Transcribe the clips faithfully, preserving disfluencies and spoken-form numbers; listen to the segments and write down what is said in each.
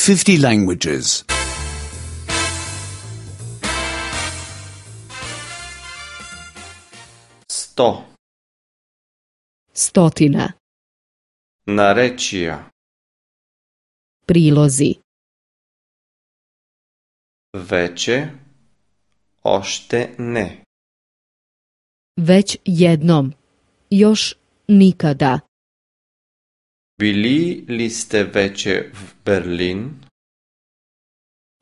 fifty languages. Sto. Stotina. Narečija. Prilozi. Veće. Ošte ne. Već jednom. Još nikada. Bili li ste veće v Berlin?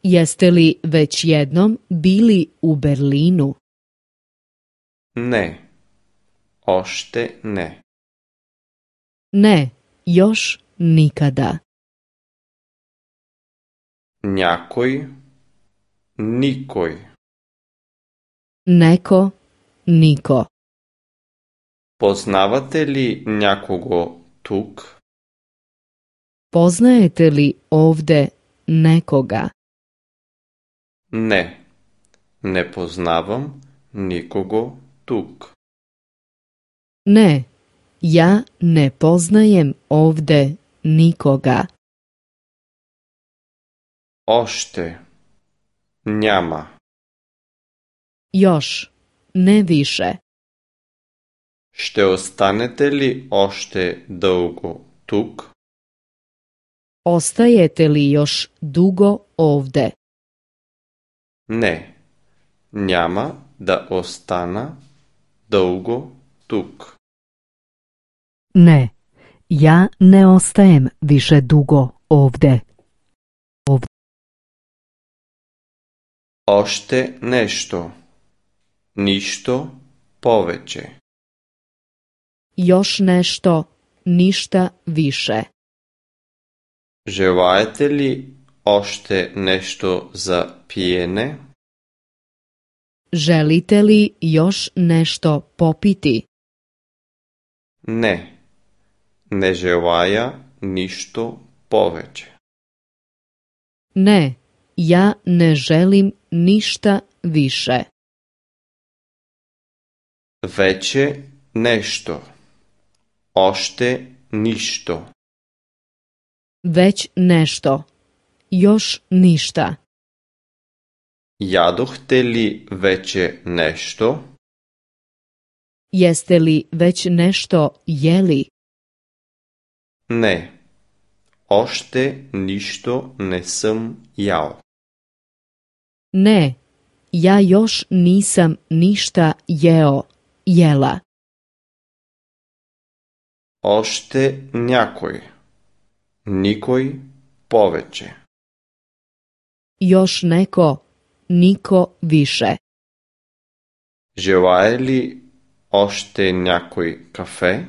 Jeste li već jednom bili u Berlinu? Ne. Ošte ne. Ne, još nikada. Някой. Никой. Neko, niko. Познавате ли някого тук? Poznajete li ovde nekoga? Не. Не познавам никого тук. Ne, ja ne poznajem ovde nikoga. Още. Няма. Još, ne više. Ще останете ли още дълго тук? Ostajete li još dugo ovde? Не. Няма да остана дълго тук. Ne, ja ne ostajem više dugo ovde. Ovde. Още нещо. Нищо повече. Još nešto, ništa više. Желаете ли още нещо за пиене? Želite li još nešto popiti? Не. Не желая нищо повече. Ne, ja ne želim ništa više. Вече нещо. Още нищо. Već nešto, još ništa. Ядохте ли вече нещо? Jeste li već nešto jeli? Не. Още нищо не съм ял. Ne, ja još nisam ništa jeo, jela. Още някой. Никой повече. Još neko, niko više. Желае ли още някой кафе?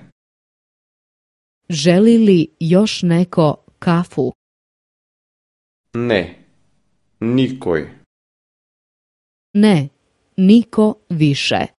Želi li još neko kafu? Не. Никой. Ne, niko više.